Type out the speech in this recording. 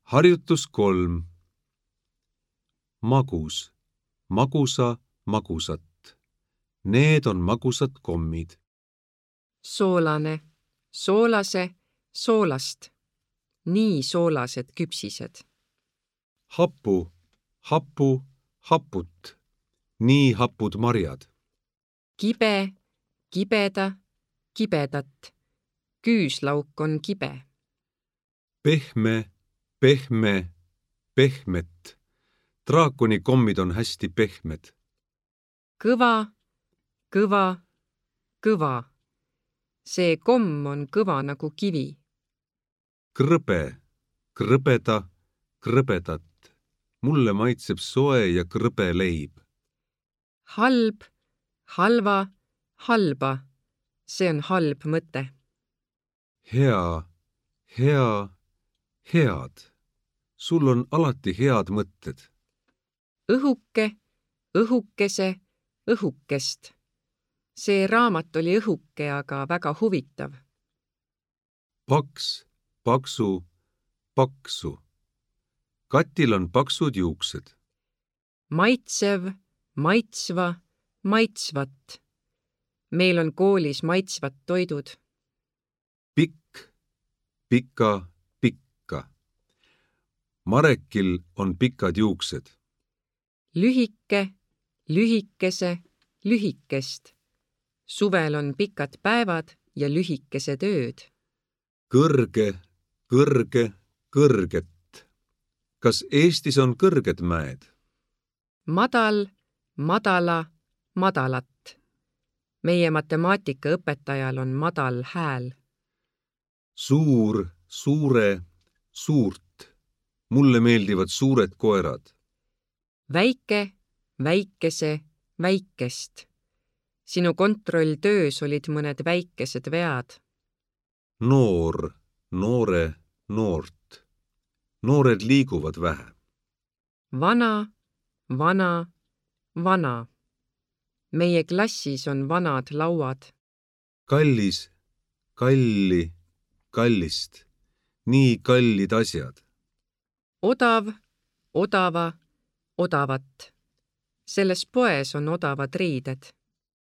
Harjutus 3. Magus, magusa, magusat. Need on magusad kommid. Soolane, soolase, soolast. Nii soolased küpsised. Hapu, hapu, haput. Nii hapud marjad. Kibe, kibeda, kibedat. Küüslauk on kibe. Pehme, pehme, pehmet. Draakoni kommid on hästi pehmed. Kõva, kõva, kõva. See komm on kõva nagu kivi. Krõbe, krõbeda, krõbedat. Mulle maitseb soe ja krõbe leib. Halb, halva, halba. See on halb mõte. Hea, hea, head. Sul on alati head mõtted. Õhuke, õhukese, õhukest. See raamat oli õhuke, aga väga huvitav. Paks, paksu, paksu. Katil on paksud juuksed. Maitsev, maitsva, maitsvat. Meil on koolis maitsvad toidud. Pikk, pika, pikka. Marekil on pikad juuksed. Lühike, lühikese, lühikest. Suvel on pikad päevad ja lühikesed ööd. Kõrge, kõrge, kõrget. Kas Eestis on kõrged mäed? Madal, madala, madalat. Meie matemaatikaõpetajal on madal hääl. Suur, suure, suurt. Mulle meeldivad suured koerad. Väike, väikese, väikest. Sinu kontrolltöös olid mõned väikesed vead. Noor, noore, noort. Noored liiguvad vähe. Vana, vana, vana. Meie klassis on vanad lauad. Kallis, kalli, kallist. Nii kallid asjad. Odav, odava, odavat. Selles poes on odavad riided.